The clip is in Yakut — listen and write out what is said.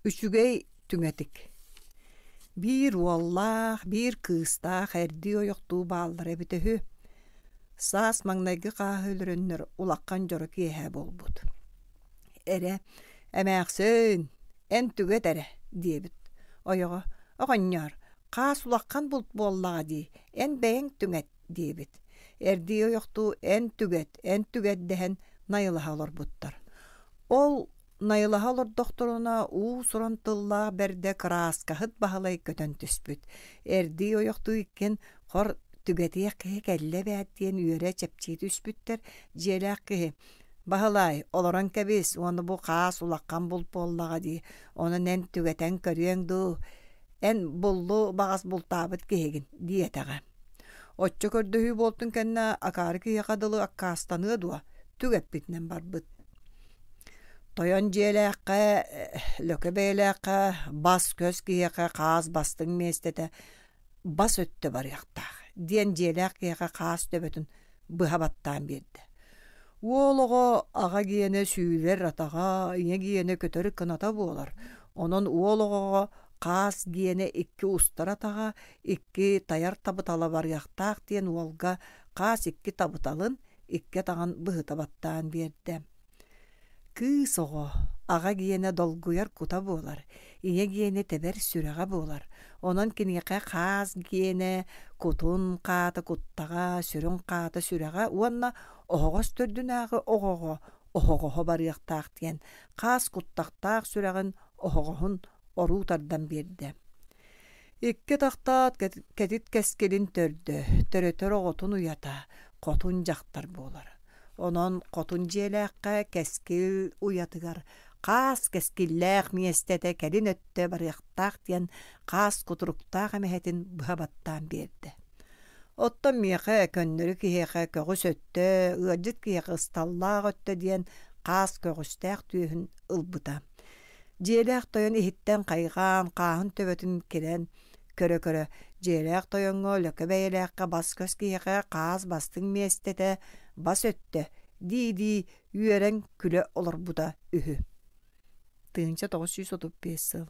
Үчүгэй түҥэтик. Биир уоллаах, биир кыыстаах эрдии ойохтуу бааллара эбитэ үһү. Саас маҥнайгы хааһы өлөрөннөр улахан дьоро киэһэ буолбут. Эрэ, эмээхсин, эн түгэт эрэ, диэбит. Ойоҕо, оҕонньоор, хаас улахан булт буоллаҕа дии, эн бэйэҥ түҥэт, диэбит. Эрдии ойохтуу эн түгэт, эн түгэт дэһэн найылаһа олорбуттар. Ол Найылаһа олордохторуна уус-уран тыллаах бэрдэ кырааскаһыт Баһылай көтөн түспүт. Эрдии ойохтуу иккиэн хор түгэтиэх киһи кэллэ эбээт диэн үөрэ чэпчии түспүттэр. Дьиэлээх киһи «Баһылай, олорон кэбис уонна бу хаас улахан булт буоллаҕа дии, онон эн түгэтэн көрүөҥ дуу, эн буллу баҕас бултаабыт киһигин» диэтэҕэ. Оччо көрдөһүү буолтун кэннэ акаары киһиэхэ дылы аккаастаныа дуо, түгэппитинэн барбыт. Тойон дьиэлээххэ, лөкө бэйэлээххэ, бас-көс киһиэхэ хаас бастыҥ миэстэтэ бас өттө барыахтаах диэн дьиэлээх киһиэхэ хаас төбөтүн быһа баттаан биэрдэ. Уол оҕо аҕа гиэнэ сүүлэр атаҕа, ийэ гиэнэ көтөр кыната буолар. Онон уол оҕоҕо хаас гиэнэ икки устар атаҕа, икки тайар табытала барыахтаах диэн уолга хаас икки табыталын икки атаҕын быһыта баттаан биэрдэ. Кыыс оҕо аҕа гиэнэ долгуйар кута буолар, ийэ гиэнэ тэбэр сүрэҕэ буолар. Онон киниэхэ хаас гиэнэ кутун хаата куттаҕа, сүрүн хаата сүрэҕэ уонна оһоҕос төрдүнээҕи оҕоҕо оһоҕоһо барыахтаах диэн хаас куттахтаах сүрэҕин оһоҕоһун оруу тардан биэрдэ. Икки атахтаат кэтит кэскилин төрдө, төрөтөр оҕотун уйата, хотун дьахтар буолар. Онон хотун дьиэлээххэ кэскил уйатыгар хаас кэскиллээх миэстэтэ кэлин өттө барыахтаах диэн хаас кутуруктаах эмэһэтин быһа баттаан биэрдэ. Оттон миэхэ көннөрү киһиэхэ көҕүс өттө, ыалдьыт киһиэхэ ысталлаах өттө диэн хаас көҕүстээх түөһүн ылбыта. Дьиэлээх тойон иһиттэн хайҕаан, хааһын төбөтүн кирэн көрө-көрө, дьиэлээх тойоҥҥо лөкө бэйэлээххэ бас-көс киһиэхэ хаас бастыҥ миэстэтэ бас өттө дии-дии үөрэн күлэ олорбута үһү. 1935 сыл.